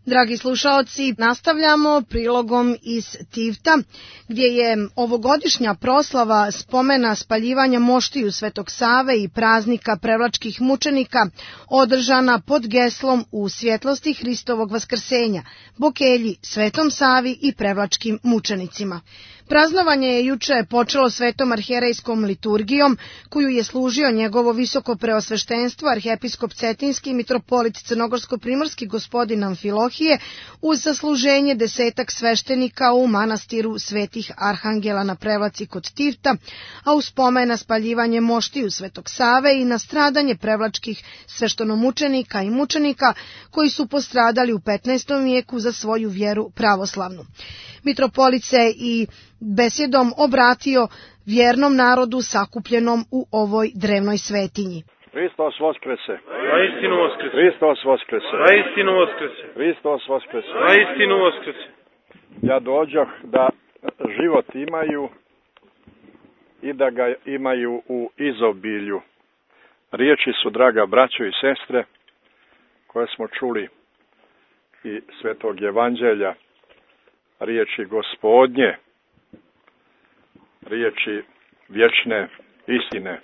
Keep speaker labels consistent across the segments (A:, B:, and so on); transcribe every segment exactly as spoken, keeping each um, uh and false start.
A: Dragi slušaoci, nastavljamo prilogom iz Tivta, gdje je ovogodišnja proslava spomena spaljivanja moštiju Svetog Save i praznika prevlačkih mučenika održana pod geslom U svjetlosti Hristovog vaskrsenja, Bokelji, Svetom Savi i prevlačkim mučenicima. Praznovanje je juče počelo svetom arhijerejskom liturgijom, koju je služio njegovo visoko preosveštenstvo arhijepiskop Cetinski mitropolit crnogorsko-primorski gospodin Amfilohije uz zasluženje desetak sveštenika u manastiru Svetih Arhangela na Prevlaci kod Tivta, a u spomen na spaljivanje moštiju Svetog Save i na stradanje prevlačkih sveštenomučenika i mučenika koji su postradali u petnaestom vijeku za svoju vjeru pravoslavnu. Mitropolit se i besjedom obratio vjernom narodu sakupljenom u ovoj drevnoj svetinji.
B: Hristos voskrese.
C: Vaistinu voskrese.
B: Hristos voskrese.
C: Vaistinu voskrese.
B: Hristos voskrese.
C: Vaistinu voskrese.
B: Ja dođoh da život imaju i da ga imaju u izobilju. Riječi su, draga braćo i sestre, koje smo čuli i Svetog Evanđelja, riječi Gospodnje, riječi vječne istine.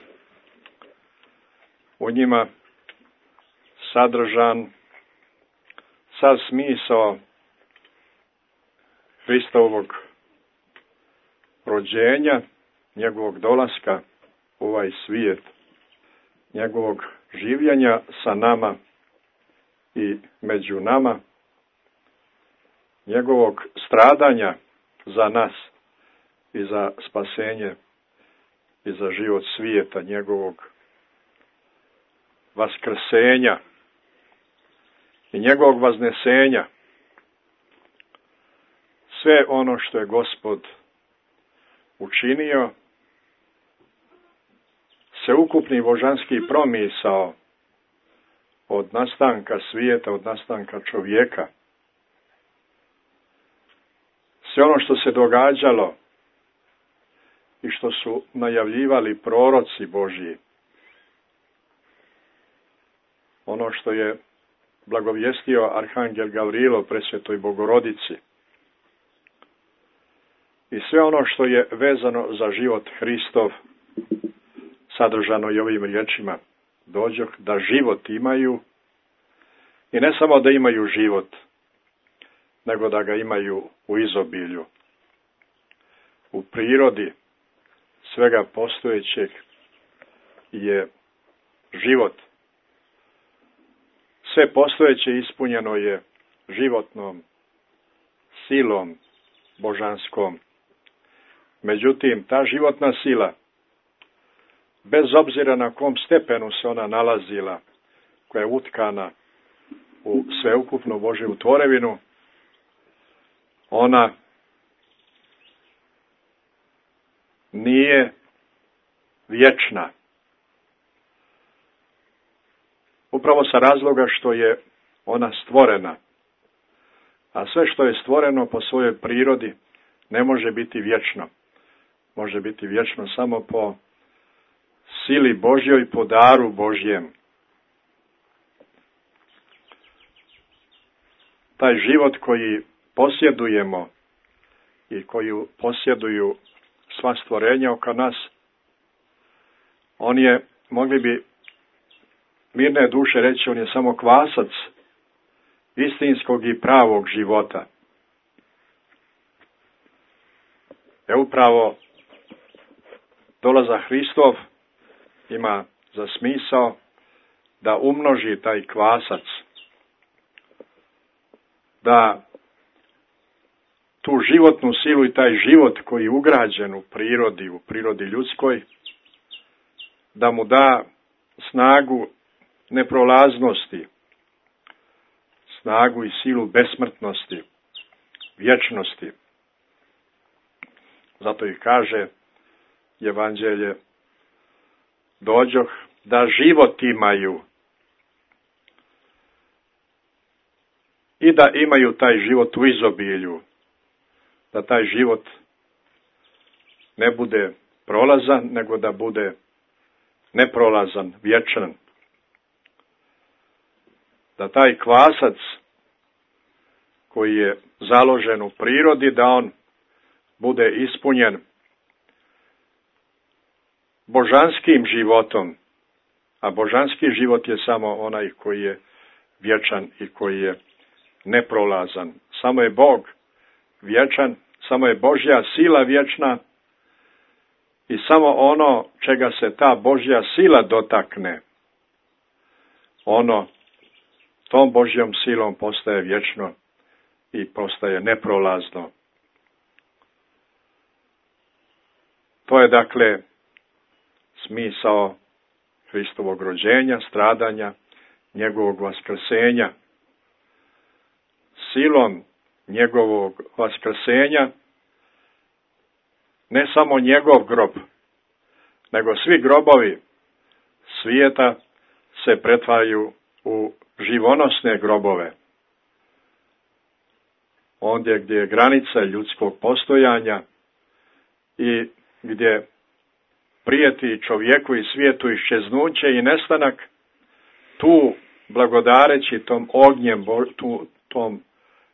B: U njima sadržan sav smisao Hristovog rođenja, njegovog dolaska u ovaj svijet, njegovog življenja sa nama i među nama, njegovog stradanja za nas i za spasenje i za život svijeta, njegovog vaskrsenja i njegovog vaznesenja. Sve ono što je Gospod učinio, sveukupni božanski promisao od nastanka svijeta, od nastanka čovjeka, sve ono što se događalo i što su najavljivali proroci Božji, ono što je blagovijestio arhangel Gavrilo presvetoj Bogorodici i sve ono što je vezano za život Hristov, sadržano i ovim riječima: dođoh da život imaju, i ne samo da imaju život, nego da ga imaju u izobilju. U prirodi svega postojećeg je život. Sve postojeće ispunjeno je životnom silom božanskom. Međutim, ta životna sila, bez obzira na kom stepenu se ona nalazila, koja je utkana u sveukupnu Božju tvorevinu, ona nije vječna. Upravo sa razloga što je ona stvorena. A sve što je stvoreno po svojoj prirodi ne može biti vječno. Može biti vječno samo po sili Božjoj, po daru Božjem. Taj život koji posjedujemo i koji posjeduju sva stvorenja oko nas, on je, mogli bi mirne duše reći, on je samo kvasac istinskog i pravog života. E upravo dolazak Hristov ima za smisao da umnoži taj kvasac, da tu životnu silu i taj život koji je ugrađen u prirodi, u prirodi ljudskoj, da mu da snagu neprolaznosti, snagu i silu besmrtnosti, vječnosti. Zato i kaže Evanđelje: dođoh da život imaju i da imaju taj život u izobilju, da taj život ne bude prolazan, nego da bude neprolazan, vječan. Da taj kvasac koji je založen u prirodi, da on bude ispunjen božanskim životom, a božanski život je samo onaj koji je vječan i koji je neprolazan. Samo je Bog vječan, samo je Božja sila vječna i samo ono čega se ta Božja sila dotakne, ono tom Božjom silom postaje vječno i postaje neprolazno. To je dakle smisao Hristovog rođenja, stradanja, njegovog vaskrsenja. Silom njegovog vaskrsenja ne samo njegov grob, nego svi grobovi svijeta se pretvaraju u živonosne grobove. Ondje gdje je granica ljudskog postojanja i gdje prijeti čovjeku i svijetu iščeznuće i nestanak, tu blagodareći tom ognjem, tu, tom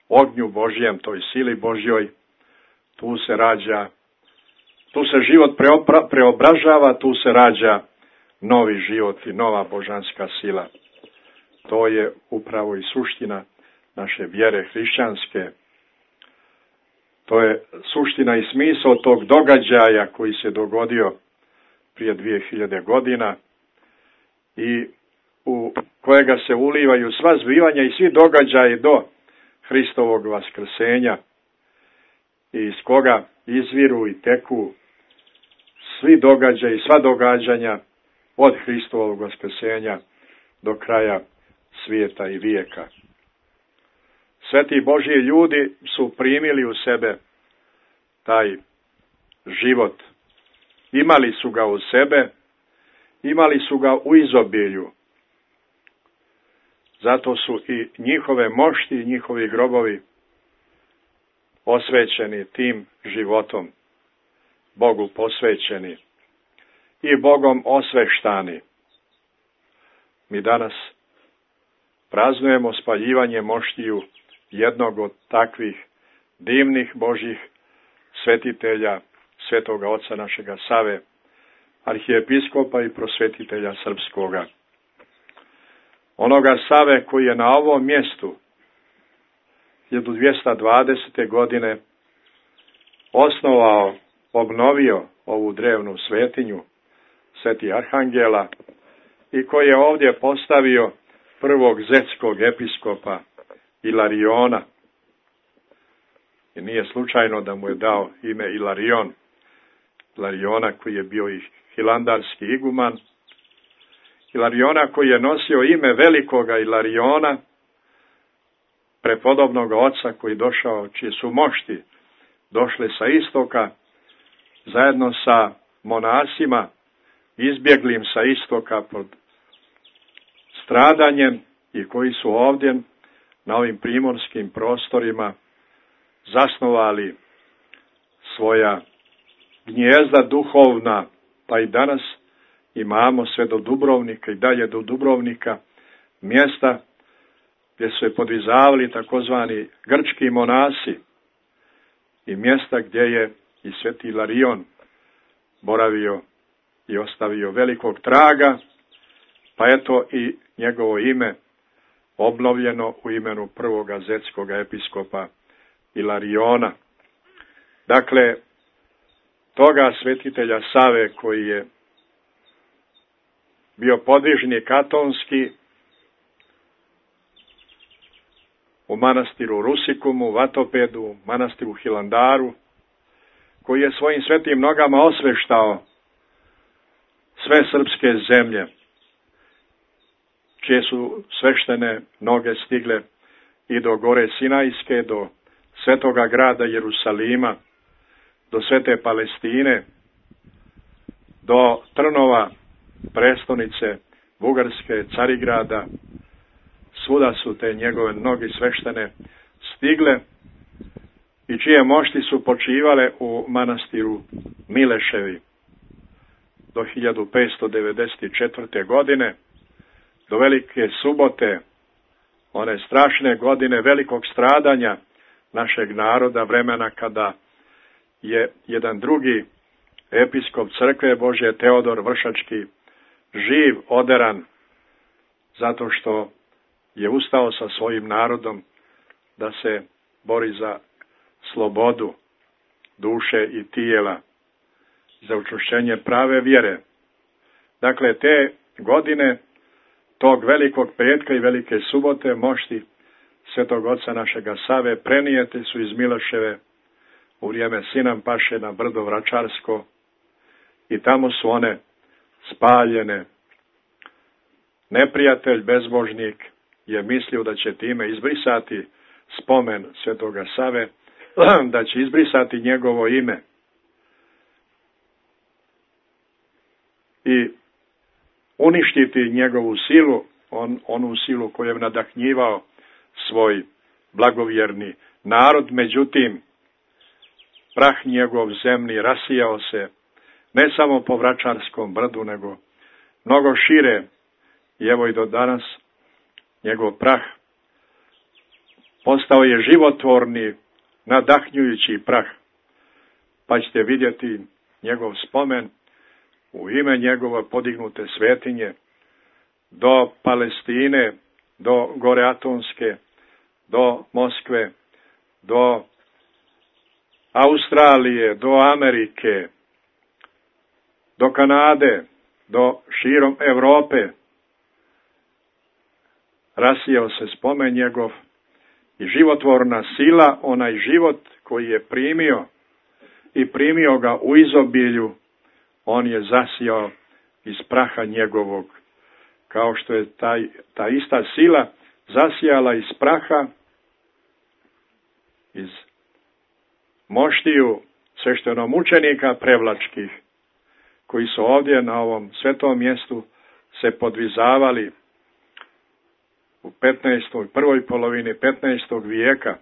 B: ognju Božjem, toj sili Božjoj, tu se rađa, tu se život preopra, preobražava, tu se rađa novi život i nova božanska sila. To je upravo i suština naše vjere hrišćanske. To je suština i smisao tog događaja koji se dogodio prije dvije hiljade godina i u kojega se ulivaju sva zbivanja i svi događaji do Hristovog vaskrsenja i iz koga izviru i teku svi događaji, sva događanja od Hristovog vaskrsenja do kraja svijeta i vijeka. Sveti Božji ljudi su primili u sebe taj život. Imali su ga u sebe, imali su ga u izobilju. Zato su i njihove mošti i njihovi grobovi osvećeni tim životom, Bogu posvećeni i Bogom osveštani. Mi danas praznujemo spaljivanje moštiju jednog od takvih divnih Božjih svetitelja, svetoga oca našega Save, arhijepiskopa i prosvetitelja srpskoga. Onoga Save koji je na ovom mjestu hiljadu dvjesto dvadesete. godine osnovao, obnovio ovu drevnu svetinju Sveti Arhangela i koji je ovdje postavio prvog zetskog episkopa Ilariona. I nije slučajno da mu je dao ime Ilarion. Ilariona koji je bio i hilandarski iguman. Ilariona koji je nosio ime velikoga Ilariona, prepodobnog oca koji došao, čije su mošti došle sa istoka, zajedno sa monasima, izbjeglim sa istoka pod stradanjem i koji su ovdje na ovim primorskim prostorima zasnovali svoja gnjezda duhovna, pa i danas imamo sve do Dubrovnika i dalje do Dubrovnika mjesta gdje su se podvizavali takozvani grčki monasi i mjesta gdje je i sveti Ilarion boravio i ostavio velikog traga, pa eto i njegovo ime obnovljeno u imenu prvoga zetskog episkopa Ilariona. Dakle, toga svetitelja Save koji je bio podvižnik atonski u manastiru Rusikumu, Vatopedu, manastiru Hilandaru, koji je svojim svetim nogama osveštao sve srpske zemlje, čije su sveštene noge stigle i do gore Sinajske, do svetoga grada Jerusalima, do svete Palestine, do Trnova, prestonice Bugarske, Carigrada. Svuda su te njegove noge sveštene stigle i čije mošti su počivale u manastiru Mileševi do hiljadu petsto devedeset četvrte. godine, do Velike subote one strašne godine velikog stradanja našeg naroda, vremena kada je jedan drugi episkop crkve Božje, Teodor Vršački, živ oderan zato što je ustao sa svojim narodom da se bori za slobodu duše i tijela, za učvršćenje prave vjere. Dakle, te godine tog velikog petka i velike subote mošti svetog oca našega Save prenijete su iz Miloševe u vrijeme Sinan Paše na brdo Vračarsko i tamo su one spaljene. Neprijatelj, bezbožnik, je mislio da će time izbrisati spomen svetoga Save, da će izbrisati njegovo ime. I uništiti njegovu silu, on, onu silu koju je nadahnjivao svoj blagovjerni narod. Međutim, prah njegov zemlji rasijao se ne samo po Vračarskom brdu, nego mnogo šire. I evo i do danas njegov prah postao je životvorni, nadahnjujući prah. Pa ćete vidjeti njegov spomen u ime njegove podignute svetinje do Palestine, do Gore Atonske, do Moskve, do Australije, do Amerike, do Kanade, do širom Europe. Rasijao se spomen njegov i životvorna sila, onaj život koji je primio i primio ga u izobilju, on je zasijao iz praha njegovog, kao što je taj, ta ista sila zasijala iz praha, iz moštiju sveštenomučenika prevlačkih, koji su ovdje na ovom svetom mjestu se podvizavali u petnaestoj prvoj polovini petnaestog vijeka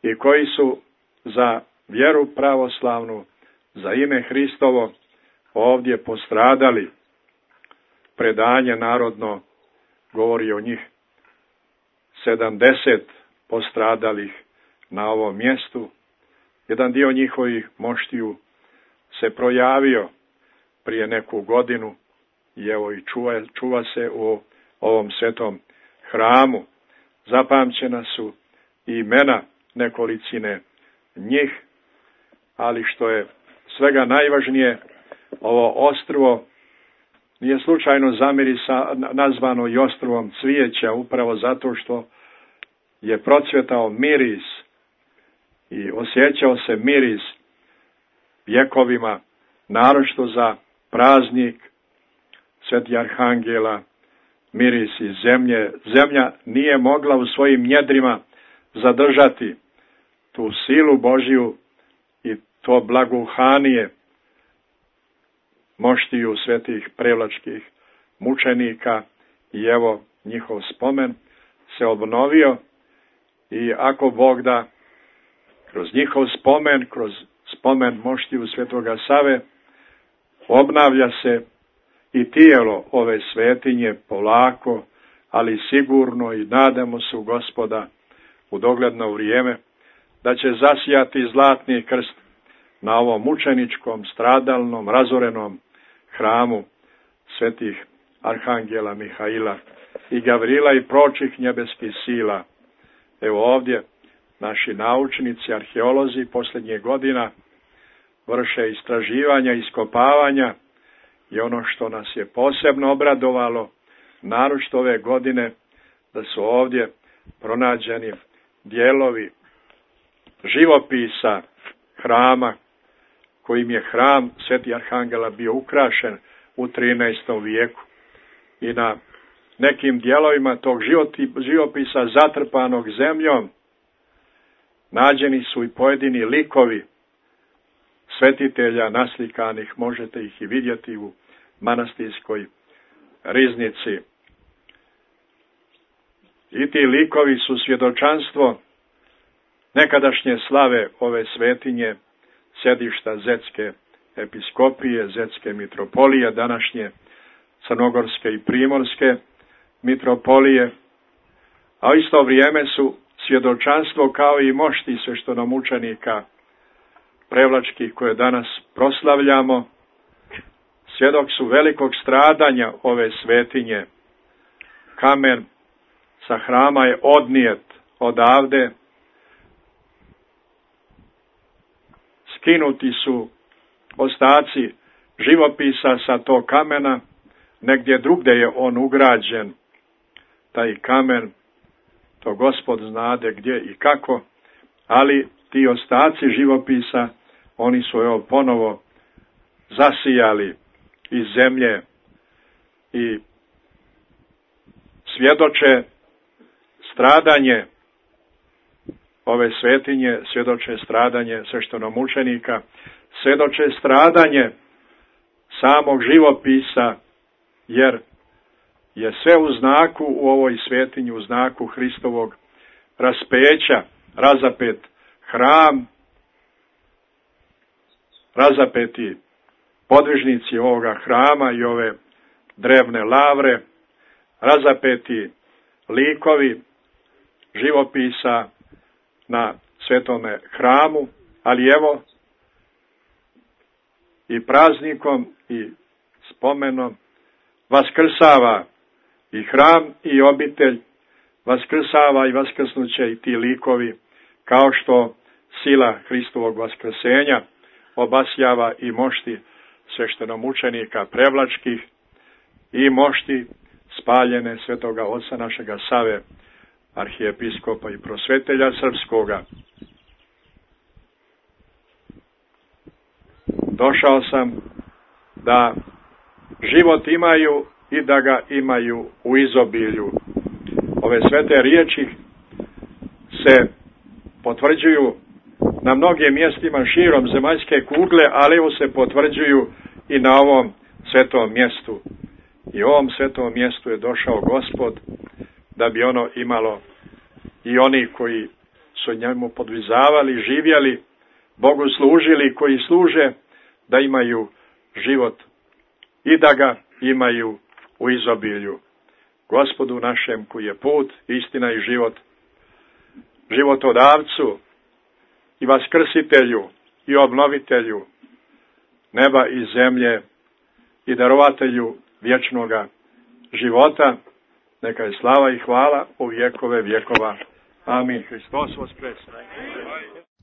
B: i koji su za vjeru pravoslavnu, za ime Hristovo ovdje postradali. Predanje narodno govori o njih sedamdeset postradalih na ovom mjestu. Jedan dio njihovih moštiju se projavio prije neku godinu i evo i čuva, čuva se u ovom svetom hramu. Zapamćena su i imena nekolicine njih, ali što je svega najvažnije, ovo ostrvo nije slučajno zamirisa, nazvano i ostrvom cvijeća, upravo zato što je procvjetao miris i osjećao se miris vjekovima, naročito za praznik Sveti Arhangela, miris iz zemlje. Zemlja nije mogla u svojim njedrima zadržati tu silu Božju i to blagohanije moštiju svetih prevlačkih mučenika i evo njihov spomen se obnovio i ako Bog da, kroz njihov spomen, kroz spomen moštiju svetoga Save, obnavlja se i tijelo ove svetinje polako, ali sigurno, i nadamo se u Gospoda u dogledno vrijeme da će zasijati zlatni krst na ovom mučeničkom, stradalnom, razorenom hramu svetih Arhangela Mihaila i Gavrila i pročih nebeskih sila. Evo ovdje naši naučnici, arheolozi posljednjih godina vrše istraživanja, iskopavanja i ono što nas je posebno obradovalo, naročito ove godine, da su ovdje pronađeni dijelovi živopisa hrama, kojim je hram Sveti Arhangela bio ukrašen u trinaestom vijeku. I na nekim dijelovima tog živopisa zatrpanog zemljom nađeni su i pojedini likovi svetitelja naslikanih, možete ih i vidjeti u manastirskoj riznici. I ti likovi su svjedočanstvo nekadašnje slave ove svetinje, sjedišta Zetske episkopije, Zetske mitropolije, današnje Crnogorske i Primorske mitropolije, a u isto vrijeme su svjedočanstvo kao i mošti sveštenomučenika prevlačkih koje danas proslavljamo. Svjedok su velikog stradanja ove svetinje. Kamen sa hrama je odnijet odavde. Skinuti su ostaci živopisa sa tog kamena. Negdje drugdje je on ugrađen, taj kamen, to Gospod znade gdje i kako, ali ti ostaci živopisa, oni su evo ponovo zasijali iz zemlje i svjedoče stradanje ove svetinje, svjedoče stradanje sveštenomučenika, svjedoče stradanje samog živopisa, jer je sve u znaku u ovoj svetinji, u znaku Hristovog raspeća, razapet hram, razapeti podvižnici ovoga hrama i ove drevne lavre, razapeti likovi živopisa na svetome hramu, ali evo i praznikom i spomenom vaskrsava i hram i obitelj, vaskrsava i vaskrsnuće i ti likovi, kao što sila Hristovog vaskrsenja obasjava i mošti sveštenomučenika prevlačkih i mošti spaljene svetoga oca našega Save, arhijepiskopa i prosvetelja srpskoga. Došao sam da život imaju i da ga imaju u izobilju. Ove svete riječi se potvrđuju na mnogim mjestima širom zemaljske kugle, ali evo se potvrđuju i na ovom svetom mjestu. I u ovom svetom mjestu je došao Gospod da bi ono imalo i oni koji su njemu podvizavali, živjeli, Bogu služili, koji služe, da imaju život i da ga imaju u izobilju. Gospodu našem koji je put, istina i život, životodavcu i vaskrsitelju i obnovitelju neba i zemlje i darovatelju vječnoga života, neka je slava i hvala u vjekove vjekova. Amin. Hristos voskresan.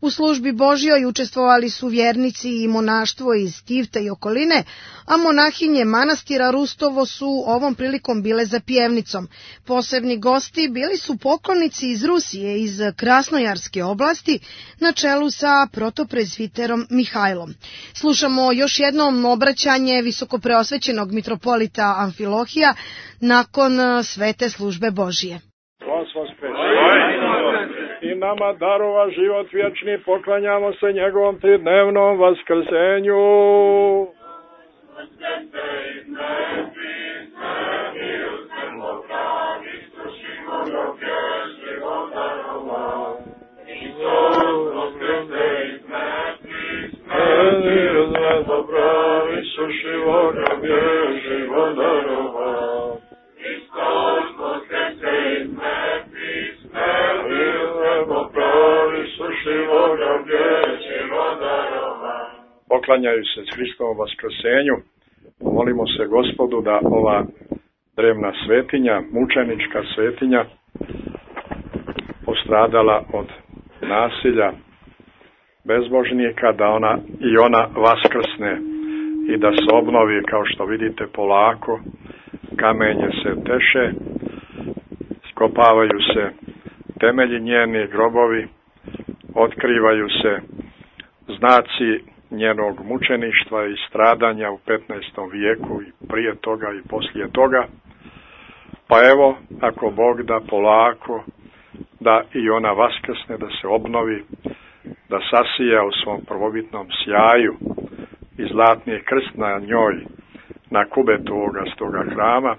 A: U službi Božjoj učestvovali su vjernici i monaštvo iz Tivta i okoline, a monahinje manastira Rustovo su ovom prilikom bile za pjevnicom. Posebni gosti bili su poklonici iz Rusije, iz Krasnojarske oblasti, na čelu sa protoprezviterom Mihajlom. Slušamo još jednom obraćanje visokopreosvećenog mitropolita Amfilohija nakon svete službe Božje.
B: I nama darova život vječni, poklanjamo se njegovom tridnevnom vaskrsenju. Poklanjaju se s Hristovom vaskrsenju. Molimo se Gospodu da ova drevna svetinja, mučenička svetinja, postradala od nasilja bezbožnika, da ona i ona vaskrsne i da se obnovi, kao što vidite, polako. Kamenje se teše, skopavaju se temelji njeni, grobovi, otkrivaju se znaci njenog mučeništva i stradanja u petnaestom vijeku i prije toga i poslije toga. Pa evo, ako Bog da, polako, da i ona vaskrsne, da se obnovi, da sasija u svom prvobitnom sjaju i zlatni krst na njoj, na kubetu ovoga stoga hrama,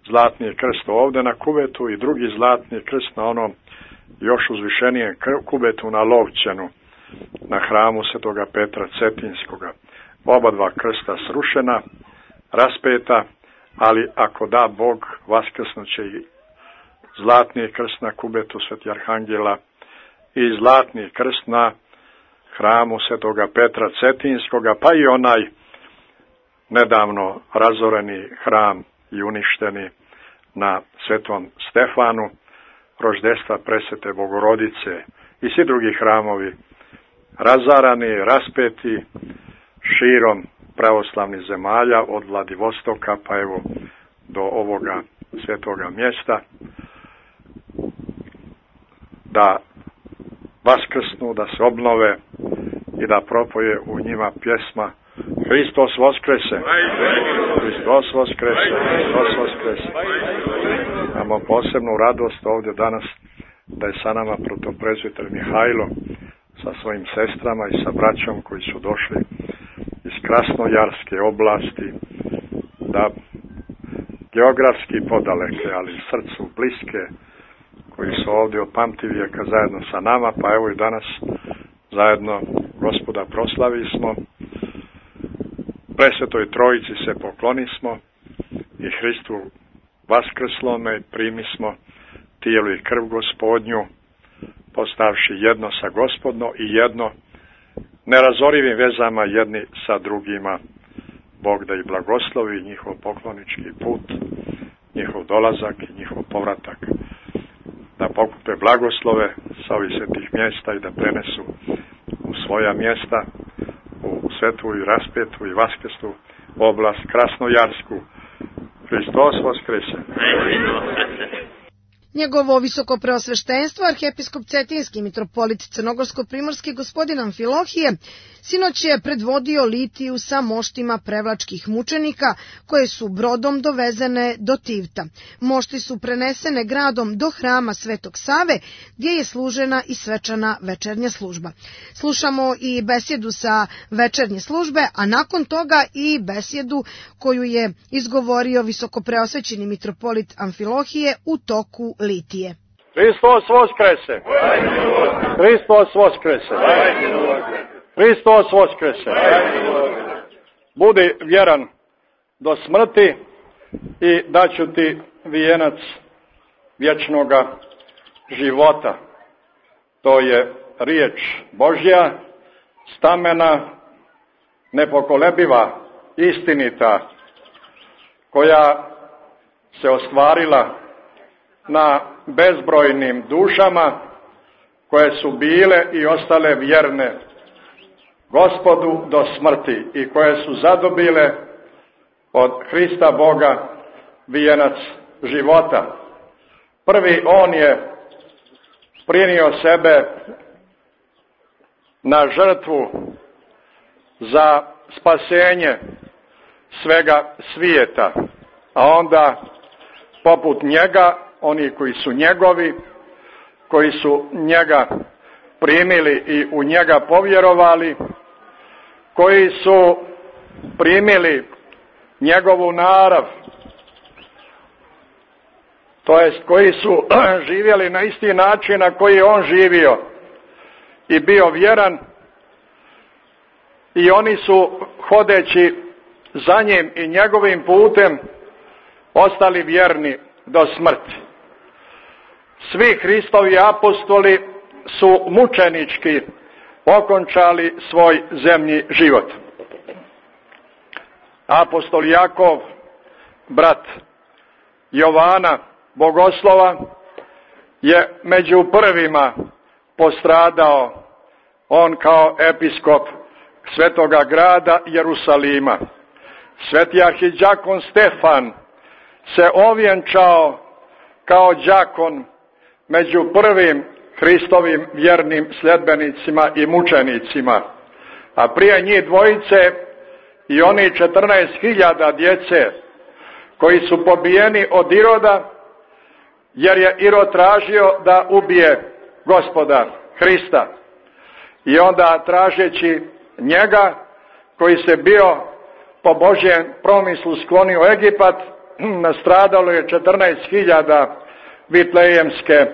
B: zlatni krst ovdje na kubetu i drugi zlatni krst na onom još uzvišenijem kubetu na Lovćenu, na hramu svetoga Petra Cetinskoga. Oba dva krsta srušena, raspeta, ali ako da Bog, vaskrsnuće i zlatni krst na kubetu Sveti Arhangela i zlatni krst na hramu Svetoga Petra Cetinskoga, pa i onaj nedavno razoreni hram i uništeni na Svetom Stefanu, roždestva Presvete Bogorodice i svi drugi hramovi razarani, raspeti širom pravoslavnih zemalja od Vladivostoka pa evo do ovoga svetoga mjesta, da vaskrsnu, da se obnove i da propoje u njima pjesma Hristos Voskrese, Hristos Voskrese, Hristos Voskrese. Imamo posebnu radost ovdje danas da je sa nama protoprezviter Mihajlo sa svojim sestrama i sa braćom koji su došli iz Krasnojarske oblasti, da geografski podaleke, ali srcu bliske, koji su ovdje od pamtivijeka zajedno sa nama, pa evo i danas zajedno Gospoda proslavimo, Presvetoj Trojici se poklonismo i Hristu vaskrslome primismo tijelo i krv Gospodnju, postavši jedno sa Gospodno i jedno nerazorivim vezama jedni sa drugima. Bog da i blagoslovi njihov poklonički put, njihov dolazak i njihov povratak, da pokupe blagoslove sa ovih svetih mjesta i da prenesu u svoja mjesta, u svetu i raspetu i vaskrslu oblast Krasnojarsku. Hristos Voskrese!
A: Njegovo visoko preosveštenstvo, arhijepiskop Cetinski mitropolit Crnogorsko-primorski gospodin Amfilohije, sinoć je predvodio litiju sa moštima prevlačkih mučenika koje su brodom dovezene do Tivta. Mošti su prenesene gradom do hrama Svetog Save, gdje je služena i svečana večernja služba. Slušamo i besjedu sa večernje službe, a nakon toga i besjedu koju je izgovorio visoko preosvećeni mitropolit Amfilohije u toku litije.
D: Hristos Voskrese! Hristos Voskrese! Hristos Voskrese! Budi vjeran do smrti i daću ti vijenac vječnoga života. To je riječ Božja, stamena, nepokolebiva, istinita, koja se ostvarila na bezbrojnim dušama koje su bile i ostale vjerne Gospodu do smrti i koje su zadobile od Hrista Boga vijenac života. Prvi on je prinio sebe na žrtvu za spasenje svega svijeta, a onda poput njega oni koji su njegovi, koji su njega primili i u njega povjerovali, koji su primili njegovu narav, to jest koji su živjeli na isti način na koji je on živio i bio vjeran, i oni su hodeći za njim i njegovim putem ostali vjerni do smrti. Svi Hristovi apostoli su mučenički okončali svoj zemlji život. Apostol Jakov, brat Jovana Bogoslova, je među prvima postradao, on kao episkop svetoga grada Jerusalima. Sveti arhidjakon Stefan se ovjenčao kao đakon među prvim Hristovim vjernim sljedbenicima i mučenicima, a prije njih dvojice i oni četrnaest hiljada djece koji su pobijeni od Iroda, jer je Irod tražio da ubije Gospoda Hrista. I onda tražeći njega, koji se bio po Božjem promislu sklonio u Egipat, nastradalo je četrnaest hiljada vitlejemske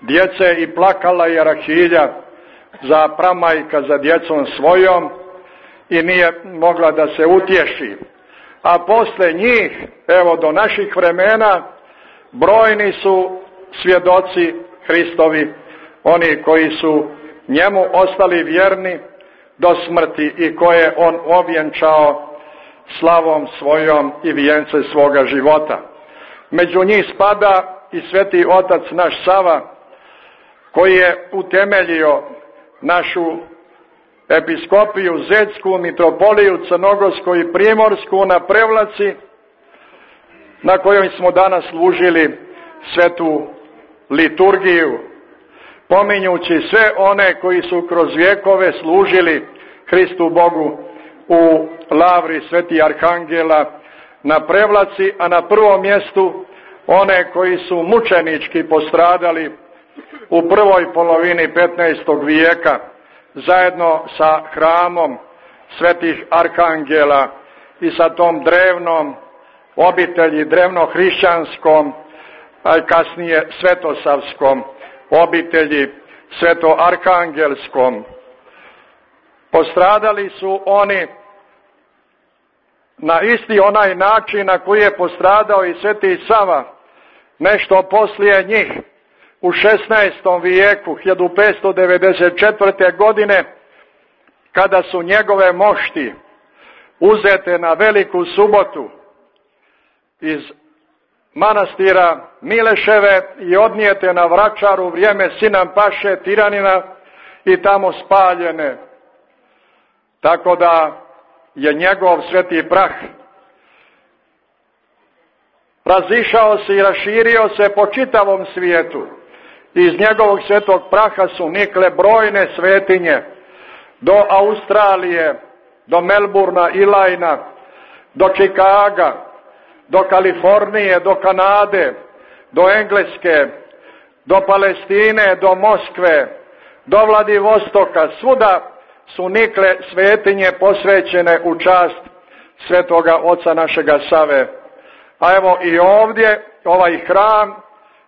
D: djece i plakala je Rahilja za pramajka za djecom svojom i nije mogla da se utješi. A posle njih, evo do naših vremena, brojni su svjedoci Hristovi, oni koji su njemu ostali vjerni do smrti i koje on ovjenčao slavom svojom i vijence svoga života. Među njih spada i sveti otac naš Sava, koji je utemeljio našu episkopiju Zetsku, mitropoliju Crnogorsku i Primorsku na Prevlaci, na kojoj smo danas služili svetu liturgiju, pominjući sve one koji su kroz vjekove služili Hristu Bogu u lavri sveti arhangela na Prevlaci, a na prvom mjestu one koji su mučenički postradali u prvoj polovini petnaestog vijeka zajedno sa hramom svetih arhangela i sa tom drevnom obitelji, drevno-hrišćanskom, a kasnije svetosavskom obitelji, sveto-arhangelskom. Postradali su oni na isti onaj način na koji je postradao i sveti Sava, nešto poslije njih, u šesnaestom vijeku, hiljadu petsto devedeset četvrte. godine, kada su njegove mošti uzete na Veliku subotu iz manastira Mileševe i odnijete na Vračaru u vrijeme Sinan Paše tiranina i tamo spaljene. Tako da je njegov sveti prah razišao se i raširio se po čitavom svijetu. Iz njegovog svetog praha su nikle brojne svetinje do Australije, do Melburna, Ilajna, do Čikaga, do Kalifornije, do Kanade, do Engleske, do Palestine, do Moskve, do Vladivostoka. Svuda su nikle svetinje posvećene u čast svetoga oca našega Save. A evo i ovdje ovaj hram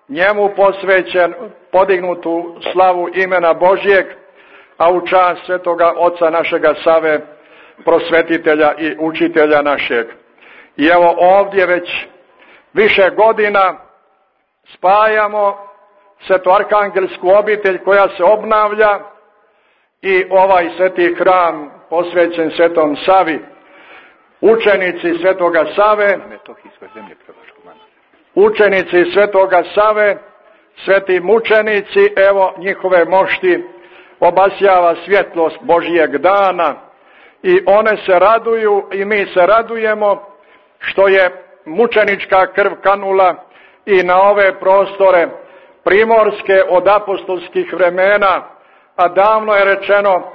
D: njemu posvećen, podignut u slavu imena Božjeg, a u čast svetoga oca našega Save, prosvetitelja i učitelja našeg. I evo ovdje već više godina spajamo svetoarhangelsku obitelj koja se obnavlja i ovaj sveti hram posvećen svetom Savi. Učenici svetoga Save, učenici svetoga Save, sveti mučenici, evo njihove mošti obasjava svjetlost Božijeg dana i one se raduju i mi se radujemo što je mučenička krv kanula i na ove prostore primorske od apostolskih vremena, a davno je rečeno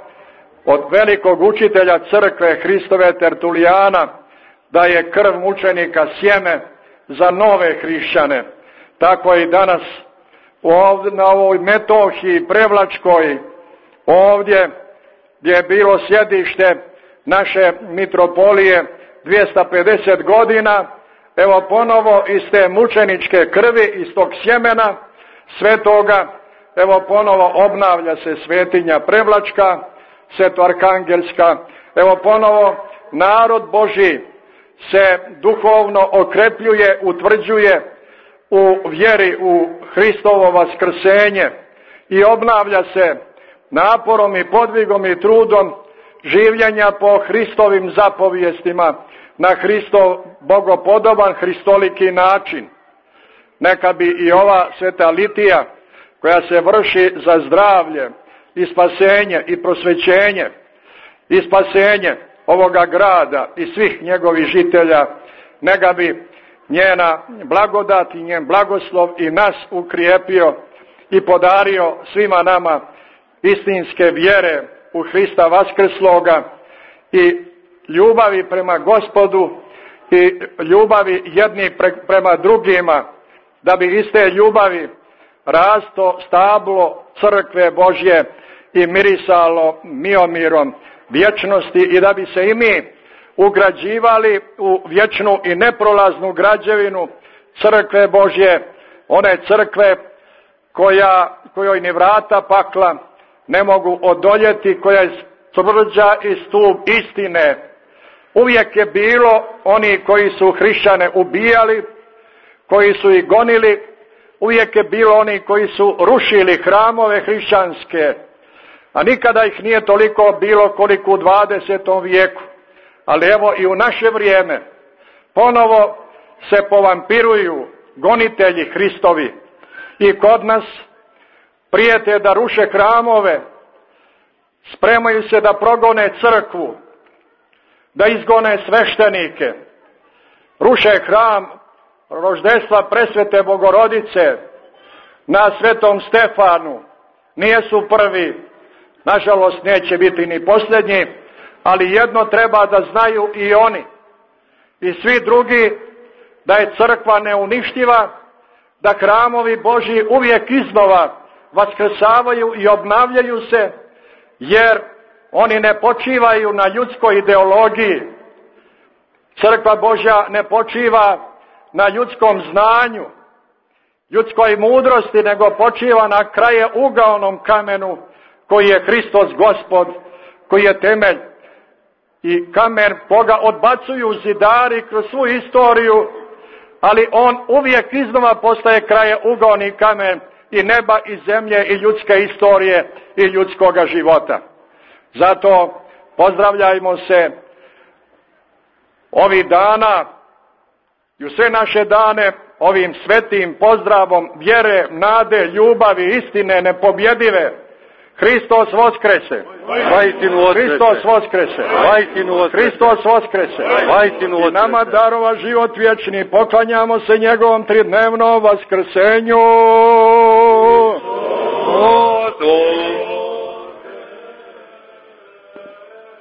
D: od velikog učitelja crkve Hristove Tertulijana da je krv mučenika sjeme za nove hrišćane. Tako i danas ovdje, na ovoj Metohiji Prevlačkoj, ovdje gdje je bilo sjedište naše mitropolije dvjesto pedeset godina, evo ponovo iz te mučeničke krvi, iz tog sjemena svetoga, evo ponovo obnavlja se svetinja Prevlačka, svetoarhangelska, evo ponovo narod Božji se duhovno okrepljuje, utvrđuje u vjeri u Hristovo vaskrsenje i obnavlja se naporom i podvigom i trudom življenja po Hristovim zapovijestima na Hristov bogopodoban hristoliki način. Neka bi i ova sveta litija koja se vrši za zdravlje i spasenje i prosvećenje i spasenje ovoga grada i svih njegovih žitelja, neka bi njena blagodat i njen blagoslov i nas ukrijepio i podario svima nama istinske vjere u Hrista vaskrsloga i ljubavi prema Gospodu i ljubavi jedni pre, prema drugima, da bi iz te ljubavi rasto stablo crkve Božje i mirisalo miomirom vječnosti i da bi se i mi ugrađivali u vječnu i neprolaznu građevinu crkve Božje, one crkve koja, kojoj ni vrata pakla ne mogu odoljeti, koja je tvrđa i stup istine. Uvijek je bilo oni koji su hrišćane ubijali, koji su ih gonili, uvijek je bilo oni koji su rušili hramove hrišćanske, a nikada ih nije toliko bilo koliko u dvadesetom vijeku. Ali evo i u naše vrijeme ponovo se povampiruju gonitelji Hristovi i kod nas prijete da ruše hramove, spremaju se da progone crkvu, da izgone sveštenike, ruše hram roždestva presvete Bogorodice na Svetom Stefanu. Nijesu prvi, nažalost neće biti ni posljednji, ali jedno treba da znaju i oni i svi drugi, da je crkva neuništiva, da hramovi Božji uvijek iznova vaskrsavaju i obnavljaju se, jer oni ne počivaju na ljudskoj ideologiji. Crkva Božja ne počiva na ljudskom znanju, ljudskoj mudrosti, nego počiva na krajeuglanom kamenu koji je Hristos Gospod, koji je temelj. I kamen koga odbacuju zidari kroz svu istoriju, ali on uvijek iznova postaje krajeugolni kamen i neba i zemlje i ljudske istorije i ljudskoga života. Zato pozdravljajmo se ovih dana i u sve naše dane ovim svetim pozdravom vjere, nade, ljubavi, istine nepobjedive. Hristos voskrese. Hristos voskrese. Hristos voskrese. I nama darova život vječni, poklanjamo se njegovom tridnevnom vaskrsenju.